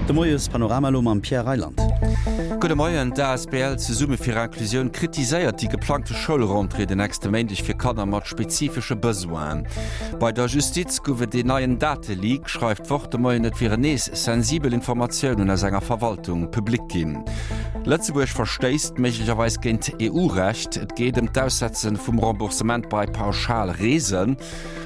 De Moies-Panorama elo mam Pierre Reyland. Gudde Moien, D'asbl Zesumme fir Inclusioun kritiséiert déi geplangte Schoulrentrée den nächste Méindeg fir Kanner mat spezifesche Besoinen. Bei der Justiz gouf et een neien Dateleak, schreift d'Wort de Moien. Et wieren nees sensibel Informatiounen aus enger Verwaltung public ginn. Lëtzebuerg verstéisst méiglecherweis géint EU-Recht. Et geet ëm d'Aussetze vum Remboursement bei Pauschalreesen.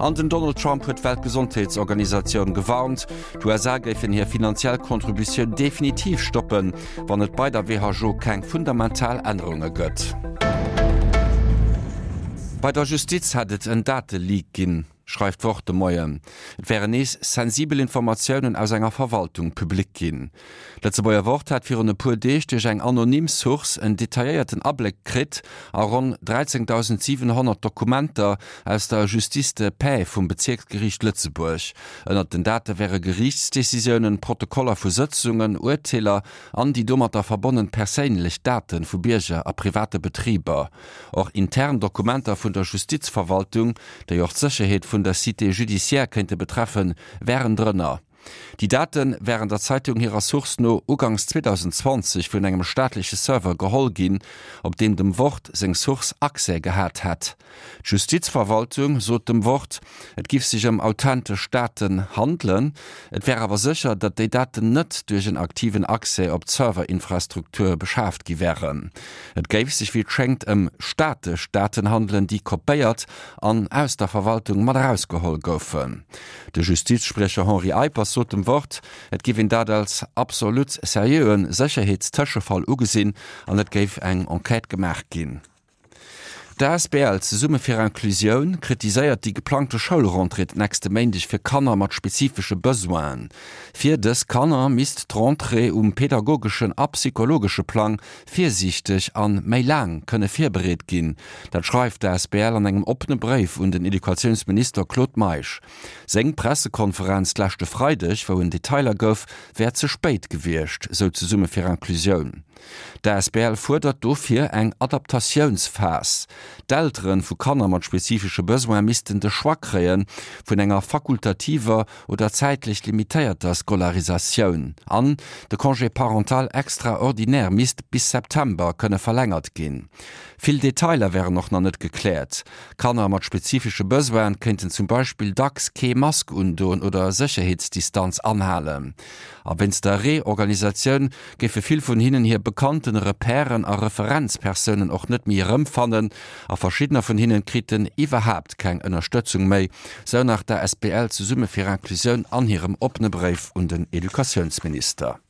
An den Donald Trump huet d'Weltgesondheetsorganisatioun gewarnt, D'USA géifen hir finanziell Contributioun definitiv stoppen, wann et bei der WHO keng fundamental Ännerunge gëtt. Bei der Justiz hätt et en Dateleak ginn, schreift d'Wort de Moien. Et wären nees sensibel Informatiounen aus enger Verwaltung public ginn. D'Lëtzebuerger Wort hat virun e puer Deeg duerch eng anonym Source en detailléierten Abléck kritt a ronn 13.700 Dokumenter aus der Justice de paix vum Bezierksgeriicht Lëtzebuerg. Ënnert den Date wäre Geriichtsdecisiounen, Protokoller vu Sëtzungen, Urteeler an déi domatter verbonnen perséinlech Date vu Bierger a private Betriber. Och intern Dokumenter vun der Justizverwaltung, déi och d'Sécherheet vun der Cité judiciaire kéinte betreffen, wären drënner. Déi Date wären der Zeitung hirer Source no ugangs 2020 vun engem staatleche Server geholl ginn, op deen dem Wort seng Source Accès gehat hätt. D'Justizverwaltung sot dem Wort, et giff sech ëm authentesch Daten handelen. Et wär awer sécher, datt déi Daten net duerch en aktiven Accès op d'Serverinfrastruktur beschaaft gi wären. Et géif sech wéi et schéngt ëm statesch Daten handelen, déi kopéiert an aus der Verwaltung mat erausgeholl goufen. De Justizspriecher Henri Eippers sot dem Wort, et géif een dat als absolut seriöe Sécherheetstëschefall ugesinn an et géif eng Enquête gemaach ginn. D'asbl Zesumme fir Inclusioun kritiséiert déi geplangte Schoulrentrée d'nächste Méindeg fir Kanner mat spezifesche Besoinen. Fir dës Kanner misst d'Rentrée um pedagogeschen a psychologesche Plang virsiichteg an méi laang kënne virbereet ginn. Dat schreift d'asbl an engem oppene Bréif un den Educatiounsminister Claude Meisch. Seng Pressekonferenz d'leschte Freideg, wou en Detailer gouf, wär ze spéit gewiescht, sou Zesumme fir Inclusioun. D'asbl fuerdert dofir eng Adaptatiounsphas. D'Eltere vu Kanner mat spezifesche Besoin missten de Choix kréie vun enger fakultativer oder zäitlech limitéierter Scolarisatioun. An de Congé parental extraordinaire misst bis September kënne verlängert ginn. Vill Detailer wären och nach net gekläert. Kanner mat spezifesche Besoine kéinten zum Beispill dacks kee Mask undoen oder Sécherheetsdistanz anhalen. A wéinst der Reorganisatioun géife vill vun hinnen hir bekannten Repèren a Referenzpersounen och net méi erëmfannen a verschiddener vun hinnen kriten iwwerhaapt keng Ënnerstëtzung méi, sou nach d'ASBL Zesumme fir Inclusioun an hirem oppene Bréif un den Educatiounsminister.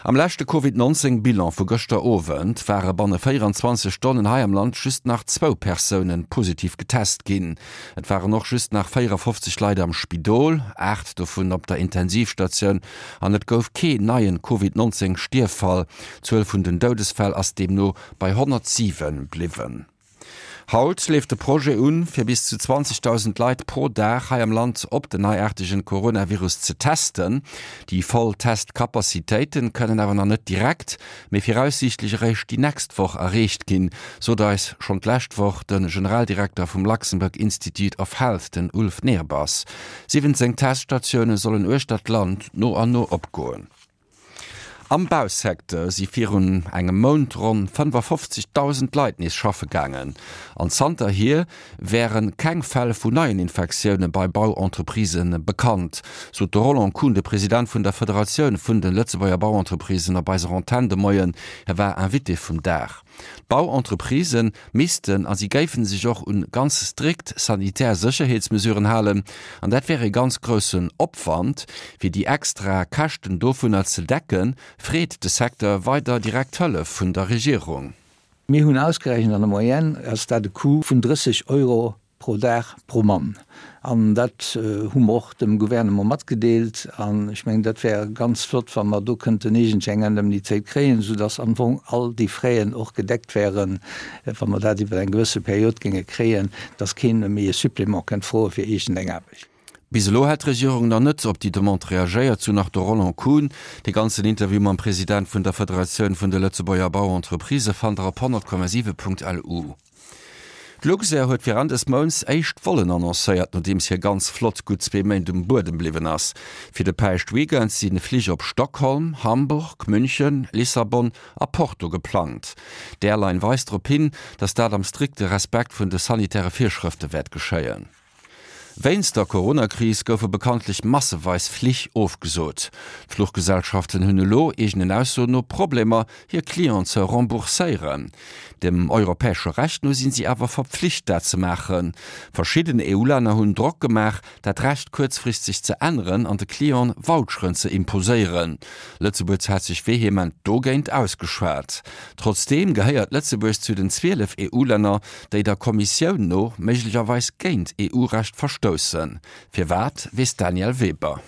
Am leschte Covid 19 Bilan vu gëschter Owend ware banne 24 Stonnen hei am Land just nach zwou Persoune positiv getest ginn. Et waren och just nach 54 Leit am Spidol, 8 dovun op der Intensivstatioun an et gouf kee neien Covid 19 Stierffall. D'Zuel vun den Doudesfäll ass deemno bei 107 bliwwen. Haut leeft de Projet un, fir bis zu 20.000 Leit pro Dag hei am Land op den neiaartegen Coronavirus ze testen. Déi voll Testcapacitéiten kënnen awer nach net direkt, mee viraussiichtlech eréischt déi nächst Woch erreecht ginn, sot eis schonn d'lescht Woch de Generaldirekter vum Luxembourg Institute of Health, den Ulf Nehrbass. 17 Teststatioune sollen uechter d'Land no an no opgoen. Am Bausecteur si virun engem Mount ronn 55.000 Leit nees schaffe gaangen. An zanterhier wäre keng Fäll vun neien Infektioune bei Bauentreprisë bekannt, sot de Roland Kuhn, de President vun der Federatioun vun de Lëtzebuerger Bauentreprisen op eiser Antenn de Moien. Hie war Invité vum Dag. D'Bauentreprisë missten a si géife sech och un ganz strikt sanitär Sécherheetsmesuren halen an dat wär ee ganz groussen Opwand. Fir déi extra Käschten dovunner ze decken, freet de Secteur weider direkt Hëllef vun der Regierung. Mir hunn ausgerechent, an der Moyenne ass dat e Coût vun 30 Euro pro Dag pro Mann. An dat hu mer och dem Gouvernement matgedeelt. An ech mengen, dat wär ganz flott, wa mer do kënnten iergendwéi eng Indemnitéit kréien, soudass am Fong all déi Fraisen och gedeckt wären, wa mer dat iwwer eng gewësse Period géinge kréien, dass keen méi e Supplément kënnt froe fir iergendeng Aarbecht. Bis elo hätt d'Regierung nach net op déi Demande reagéiert, sou nach de Roland Kuhn. De ganzen Interview mam President vun der Federatioun vun de Lëtzebuerger Bauentreprisë fannt der op 100,7.lu. D'Luxair huet fir Enn des Mounts éischt Vollen annoncéiert, nodeems hir ganz Flott gutt zwee Méint um Buedem bliwwen ass. Fir de Päischtweekend si Flich op Stockholm, Hamburg, München, Lissabon a Porto geplangt. D'Airline weist drop hin, datt dat am strikte Respekt vun de sanitäre Virschrëfte wäert geschéien. Wéinst der Coronakris goufe bekanntlech masseweis Flich ofgesot. D'Fluchgesellschaften hunn elo, eegenen Aussoen no, Problemer, hir Clienten ze rembourséieren. Dem europäesche Recht no sinn si awer verpflicht, dat ze maachen. Verschidden EU-Länner hunn Drock gemaach, dat Recht kuerzfristeg ze änneren an de Clienten Voucheren ze imposéieren. Lëtzebuerg hat sech vehement dogéint ausgeschwat. Trotzdeem gehéiert Lëtzebuerg zu den 12 EU-Länner, déi der Kommissioun no méiglecherweis géint EU-Recht verstoussen. Firwat, weess d'Danièle Weber.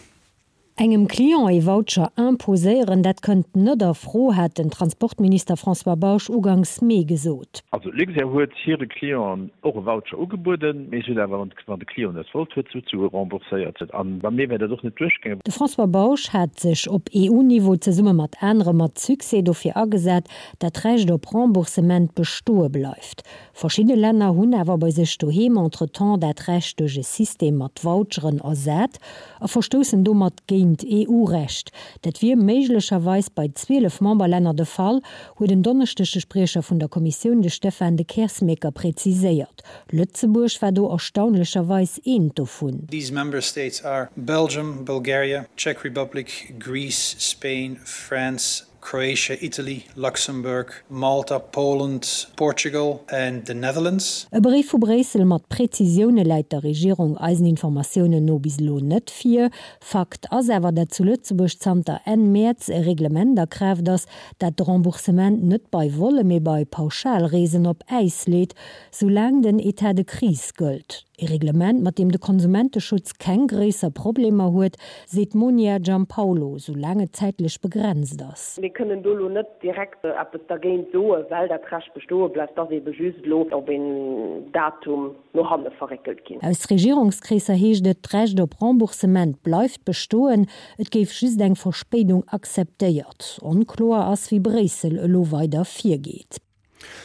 Engem Client ee Voucher imposéieren, dat kënnt net a Fro, hat den Transportminister François Bausch uganks Mee gesot. Also Luxair huet hire Clienten och e Voucher ugebueden, mee se huet awer, wann de Client net wollt huet, souzesoe rembourséiert. An bei mir wär dat och net duerchgaangen. De François Bausch hat sech op EU-Niveau zesumme mat anere mat Succès dofir agesat, dat d'Recht op Remboursement bestoe bleift. Verschidde Länner hunn awer bei sech doheem entretemps dat Recht duerch e System mat Voucheren ersat a verstoussen domat géint EU-Recht. Dat wier méiglecherweis bei 12 Memberlänner de Fall, huet en Donneschdeg de Spriecher vun der Kommissioun, de Stefan de Keersmaecker, preziséiert. Lëtzebuerg war do erstaunlecherweis eent dovun. These member states are Belgium, Bulgaria, Czech Republic, Greece, Spain, France, Croatia, Italy, Luxembourg, Malta, Poland, Portugal and the Netherlands. E Bréif vu Bréissel mat Prezisioune läit der Regierung eisen Informatiounen no bis elo net vir. Fakt ass awer, dat zu Lëtzebuerg zanter Enn Mäerz e Reglement a Kraaft ass, dat de Remboursement net bei Volle, mee bei Pauschalreesen op Äis leet, soulaang den Etat de crise gëllt. E Reglement, mat deem de Konsumenteschutz keng gréisser Problemer huet, seet d'Monia Giampaolo, soulaang et zäitlech begrenzt ass. Mir kënnen do elo net direkt eppes dergéint soen, well dat Recht bestoe bleift, ass eebe just elo op een Datum no hanne verréckelt ginn. Aus Regierungskreesser heescht et, d'Recht op Remboursement bleift bestoen, et géif just eng Verspéidung akzeptéiert. Onkloer ass, wéi Bréissel elo weider virgeet.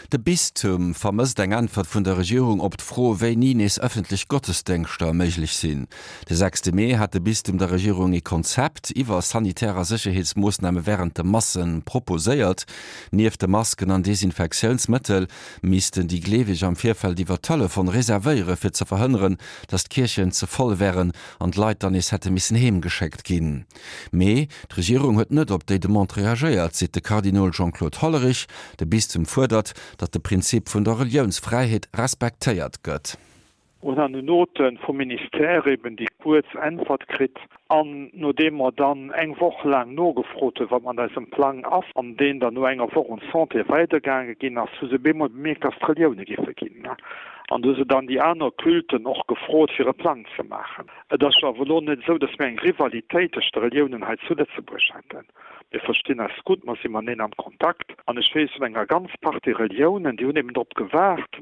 De Bistum vermësst eng Äntwert vun der Regierung op d'Fro, wéini nees ëffentlech Gottesdéngschter méiglech sinn. De sechste Mee hat de Bistum der Regierung ee Konzept iwwer sanitär a Sécherheetsmoossname wärend de Masse proposéiert. Nieft de Masken an Desinfektiounsmëttel missten déi Gleeweg am Virfeld iwwer Telefon reservéiere fir ze verhënneren, datt d'Kierchen ze voll wären an d'Leit dann nees hätte missen heem geschéckt ginn. Mee d'Regierung huet net op déi Demande reagéiert, seet de Kardinol Jean-Claude Hollerich. De Bistum fuerdert, datt de Prinzip vun der Reliounsfräiheet respektéiert gëtt. Hunn an den Note vum Ministère eben déi kuerz Äntwert kritt. An nodeem mer dann eng Woch laang nogefrot hunn, wat mat eisem Plang ass, an deen dann no enger Woch un d'Santé weidergaange ginn ass, hu se bemol bemierkt, dass d'Relioune giffe ginn. An du hu se dann déi aner Culten och gefrot, fir e Plang ze maachen. Et ass jo awer elo net esou, datt mir eng Rivalitéit tëscht de Reliounen hei zu Lëtzebuerg hätten. Mir verstinn eis gutt, mer si mateneen am Kontakt. An ech weess vun enger ganz Partie Reliounen, déi hunn eben drop gewaart,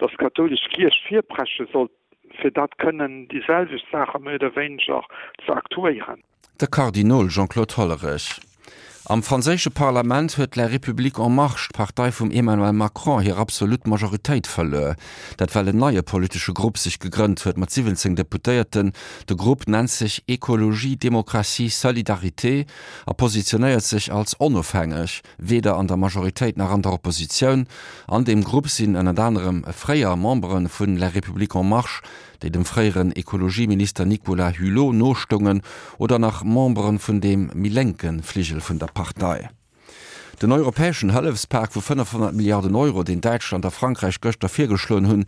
datt d'kathoulesch Kierch virpresche sollt, fir dat kënnen déi selwecht Saache méi oder wéineger ze aktuéieren. De Kardinol Jean-Claude Hollerich. Am franséische Parlament huet La République en Marche, d'Partei vum Emmanuel Macron, hir absolut Majoritéit verluer. Dat well en neie politesche Grupp sech gegrënnt huet mat 17 Deputéierten. De Grupp nennt sech Écologie, Démocratie, Solidarité a positionéiert sech als onofhängeg, weder an der Majoritéit nach an der Oppositioun. An deem Grupp sinn ënnert anerem fréier Membere vun La République en Marche, déi dem fréieren Ekologieminister Nicolas Hulot nostoungen, oder nach Membere vun deem méi lénke Fligel vun der Partei. Den europäeschen Hëllefspak vu 500 Milliarden Euro, deen Däitschland a Frankräich gëschter virgeschloen hunn,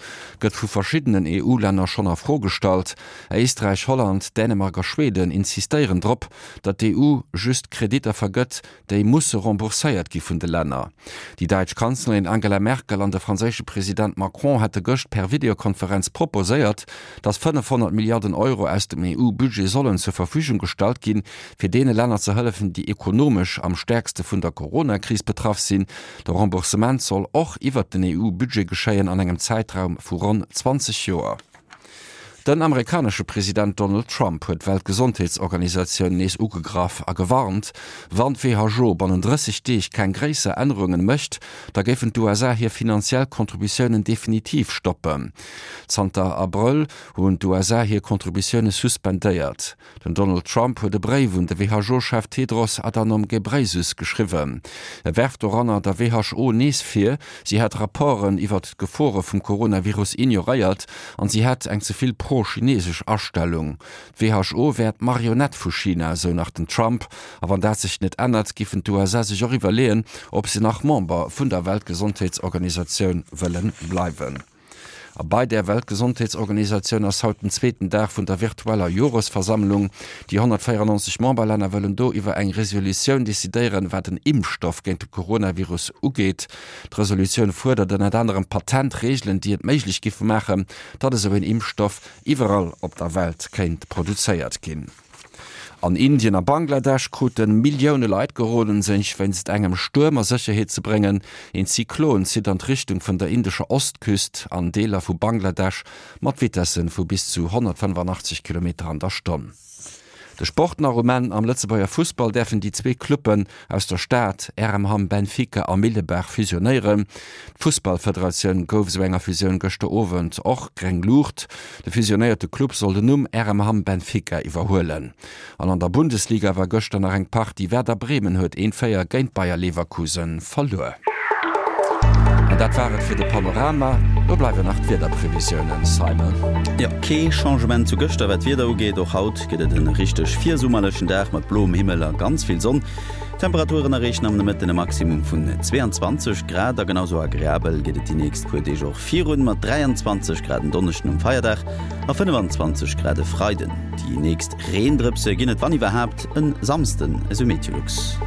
gëtt vu verschiddenen EU-Länner schonn a Fro gestallt. Éisträich, Holland, Dänemark a Schweden insistéieren drop, datt d'EU just Kreditter vergëtt, déi musse rembourséiert gi vun de Länner. Déi däitsch Kanzlerin Angela Merkel an de franséische President Macron hätte gëscht per Videokonferenz proposéiert, datt 500 Milliarden Euro aus dem EU-Budget sollen zur Verfügung gestallt ginn, fir deene Länner ze hëllefen, déi ekonomesch am stäerkste vun der Corona-Kris betraff sinn. De Remboursement soll och iwwert den EU-Budget geschéien an engem Zäitraum vu ronn 20 Joer. Den amerikanesche President Donald Trump huet d'Weltgesondheetsorganisatioun nees ugegraff a gewarnt, wann d'WHO bannen 30 Deeg keng gréisser Ännerungen mécht, da géifen d'USA hir finanziell Contributiounen definitiv stoppen. Zanter Abrëll hunn d'USA hir Contributioune suspendéiert. Den Donald Trump huet e Bréif un de WHO-Chef Tedros Adhanom Ghebreyesus geschriwwen. E werft doranner der WHO nees vir, si hätt Rapporten iwwert d'Gefore vum Coronavirus ignoréiert an si hätt eng ze vill pro-chinesesch Astellung. D'WHO wär d'Marionett vu China, esou nach den Trump. A wann dat sech net ännert, giffen d'USA sech och iwwerleeën, ob se nach Member vun der Weltgesondheetsorganisatioun wëlle bleiwen. A bei där Weltgesondheetsorganisatioun ass haut den zweeten Dag vun der virtueller Joresversammlung. Déi 194 Memberlänner wëllen do iwwer eng Resolutioun decidéieren, wat en Impfstoff géint de Coronavirus ugeet. D'Resolutioun fuerdert ënnert anerem Patentreegelen, déi et méiglech giffe maachen, datt esou een Impfstoff iwwerall op der Welt kéint produzéiert ginn. An Indien a Bangladesch krute Millioune Leit geroden, sech wéinst engem Stuerm a Sécherheet ze bréngen. Een Zyklon zitt an d'Richtung vun der indescher Ostküst an Deeler vu Bangladesch mat Vitesse vu bis zu 185 Kilometer an der Stonn. De Sport nach um Enn, Am Lëtzebuerger Fussball däerfen déi zwee Cluppen aus der Stad, RM Hamm Benfica a Millebaach, fusionéieren. D'Fussballfederatioun gouf esou enger Fusioun gëschter Owend och gréng Luucht. De fusionéierte Club soll den Numm RM Hamm Benfica iwwerhuelen. An an der Bundesliga war gëschter nach eng Partie, Werder Bremen huet 1, 4 géint Bayer Leverkusen verluer. An dat war et fir de Panorama. Lo bleiwen nach d'Wiederprevisiounen, Simon. Jo, kee Changement zu gëschter wat d'Wieder ugeet. Och haut gëtt et en richteg virsummerlechen Dag mat bloem Himmel a ganz vill Sonn. D'Temperaturen erreechen am Nomëtten e Maximum vun 22 Grad a genau sou agreabel gëtt et déi nächst puer Deeg och virun, mat 23 Grad en Donneschden um Feierdag a 25 Grad e Freiden. Déi nächst Reendrëpse ginn et wann iwwerhaapt en Samsden, esou Meteolux.